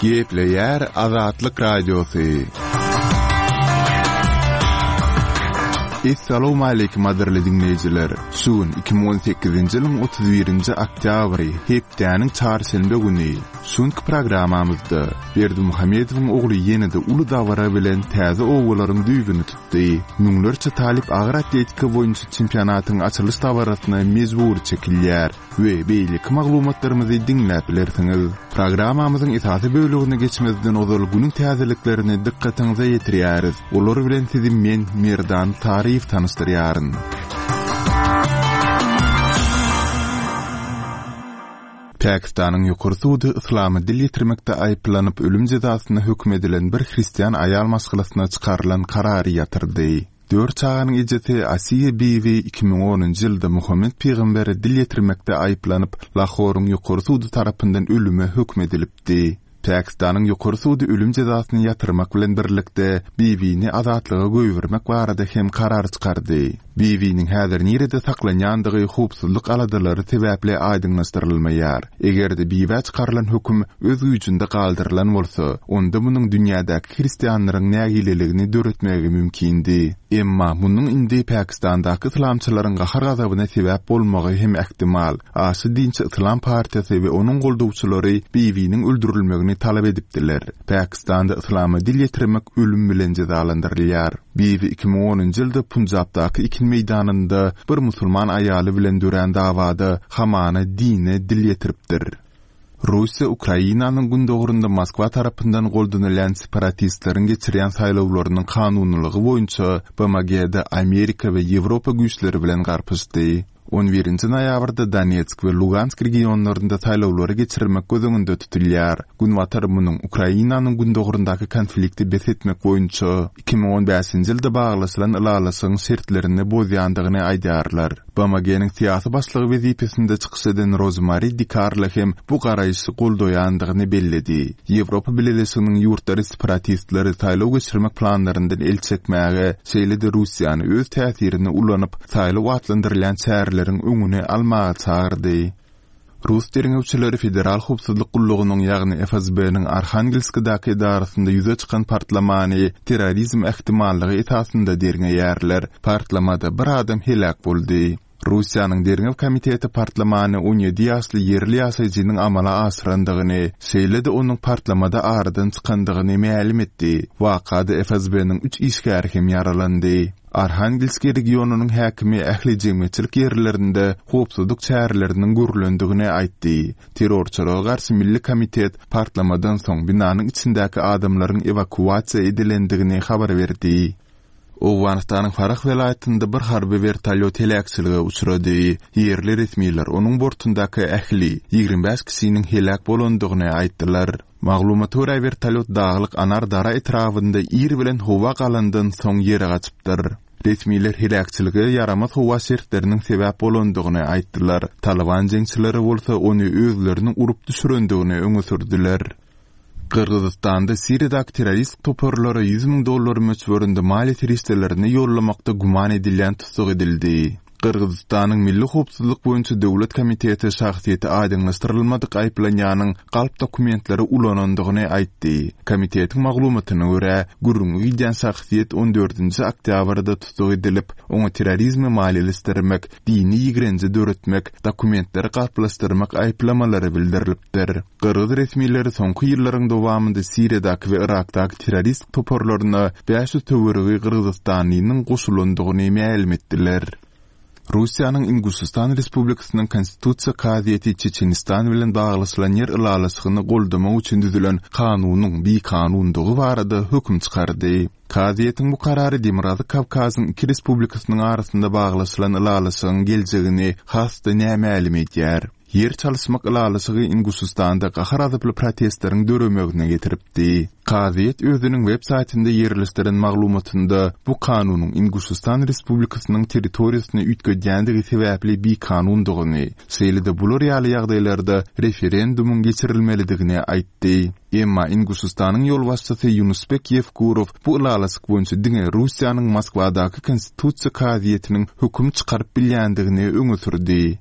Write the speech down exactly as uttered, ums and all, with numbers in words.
Gepleýär Azatlyk Radiosy. Essalawmaleýkim gadyrly diňleýjiler! Şu gün iki müň on sekizinji ýylyň otuz birinji oktýabry, hepdäniň çarşenbe güni. Şu günki programmamyzda Berdimuhamedowyň ogly ýene-de uly dabara bilen täze obalaryň düýbüni tutdy. Müňlerçe talyp agyr atletika boýunça çempionatyň açylyş dabarasyna mejbury çekilýär we beýleki maglumatlarymyzy diňläp bilersiňiz. Programmamyzyň esasy bölegine geçmezden ozal günüň täzeliklerini dykgatyňyza ýetirýäris. Olar bilen sizi men, Merdan Saryýew tanyşdyrýaryn. Pakistanyň ýokary sudy yslama dil ýetirmekde aýyplanyp ölüm jezasyna höküm edilen bir hristian aýal maşgalasyna çykarylan karary ýatyrdy. Dört çaganyň ejesi Asiýa Bibi iki müň onunjy ýylda Muhammet pygambere dil ýetirmekde aýyplanyp, Lahoryň ýokary sudy tarapyndan ölüme höküm edilipdi. Pakistanyň ýokary sudy ölüm jezasyny ýatyrmak bilen birlikde, Bibini azatlyga goýbermek barada hem karar çykardy. Bibiniň häzir nirede saklanýandygy howpsuzlyk aladalary sebäpli aýdyňlaşdyrylmaýar. Eger-de Bibä çykarylan höküm öz güýjünde galdyrylan bolsa, onda munuň dünýädäki hristianlaryň nägileligini döretmegi mümkindi. Emma munuň indi Pakistandaky yslamçylaryň gahar-gazabyna sebäp bolmagy hem ähtimal. Aşa dinçi Yslam partiýasy we onuň goldawçylary Bibiniň öldürilmegini talap edipdiler. Pakistanda yslama dil ýetirmek ölüm bilen jezalandyrylýar. Bibi iki müň onunjy ýylda Punjabdaky ekin meýdanynda bir musulman aýaly bilen dörän dawada hamana dine dil ýetiripdir. Russiýa Ukrainanyň gündogarynda Moskwa tarapyndan goldanylýan separatistleriň geçirýän saýlawlarynyň kanunylygy boýunça B M G-de Amerika we Ýewropa güýçleri bilen garpyşdy. On birinji noýabrda Donetsk we Lugansk regionlarynda saýlawlary geçirmek göz öňünde tutulýar. Günbatar munuň Ukrainanyň gündogaryndaky konflikti bes etmek boýunça iki müň on bäşinji ýylda baglaşylan ylalaşygyň şertlerini bozýandygyny aýdýarlar. B M G-niň syýasy başlygy wezipesinde çykyş eden Rozmari Di Karlo hem bu garaýşy goldaýandygyny belledi. Ýewropa Bileleşiginiň ýurtlary separatistleri saýlaw geçirmek planlaryndan el çekmäge, şeýle-de Russiýany öz täsirini ulanyp, saýlaw atlandyrylýan çäreleriň öňüni almaga çagyrdy. Rus derňewçileri Federal Howpsuzlyk Gullugynyň, ýagny F S B-niň Arhangelskidäki edarasynda ýüze çykan partlamany terrorizm ähtimallygy esasynda derňeýärler. Partlamada bir adam heläk boldy. Russiýanyň derňew komiteti partlamany on ýedi ýaşly ýerli ýaşaýjynyň amala aşyrandygyny, şeýle-de onuň partlamada aradan çykandygyny mälim etdi. Wakada F S B-niň üç işgäri hem ýaralandy. Arhangelsk regionynyň häkimi ähli jemgyýetçilik ýerlerinde howpsuzlyk çäreleriniň görülendigini aýtdy. Terrorçylyga garşy milli komitet partlamadan soň binanyň içindäki adamlaryň ewakuasiýa edilendigini habar berdi. Owganystanyň Farah welaýatynda bir harby vertolýot heläkçilige uçrady. Ýerli resmiler onuň bortundaky ähli ýigrimi bäş kişiniň heläk bolandygyny aýtdylar. Maglumata görä vertolýot daglyk Anar Dara etrabynda ir bilen howa galandan soň ýere gaçypdyr. Resmiler heläkçilige ýaramaz howa şertleriniň sebäp bolandygyny aýtdylar. Taliban jeňçileri bolsa ony özleriniň urup düşürendigini öňe sürdüler. Gyrgyzystanda Siriýadaky terrorist toparlara ýüz müň dollar möçberinde maliýe serişdelerini ýollamakda güman edilýän tussag edildi. Gyrgyzystanyň Milli Howpsuzlyk boýunça Döwlet komiteti şahsyýeti aýdyňlaşdyrylmadyk aýyplanýanyň galp dokumentleri ulanandygyny aýtdy. Komitetiň maglumatyna görä, gürrüňi gidýän şahsyýet on dördünji oktýabrda tussag edilip, oňa terrorizmi maliýeleşdirmek, dini ýigrenji döretmek, dokumentleri galplaşdyrmak aýyplamalary bildirilipdir. Gyrgyz resmileri soňky ýyllaryň dowamynda Siriýadaky we Irakdaky terrorist toparlaryna bäş ýüz töweregi Gyrgyzystanyň goşulandygyny mälim etdiler. Russiýanyň Inguşistan Respublikasynyň Konstitusiýa kazyýeti Çeçenistan bilen baglaşylan ýer ylalaşygyny goldamak üçin düzülen kanunyň bikanundygy barada höküm çykardy. Kazyýetiň bu karary Demirgazyk Kawkazyň iki respublikasynyň arasynda baglaşylan ylalaşygyň geljegini has-da nämälim edýär. Ýer çalyşmak ylalaşygy Inguşistanda gahar-gazaply protestleriň döremegine getiripdi. Kazyýet özüniň web saýtynda ýerleşdiren maglumatynda bu kanunyň Inguşistan Respublikasynyň territoriýasyny üýtgedýändigi sebäpli bikanundygyny, şeýle-de bular ýaly ýagdaýlarda referendumyň geçirilmelidigini aýtdy. Emma Inguşistanyň ýolbaşçysy Ýunusbek Ýewkurow bu ylalaşyk boýunça diňe Russiýanyň Moskwadaky Konstitusiýa kazyýetiniň höküm çykaryp bilýändigini öňe sürdi.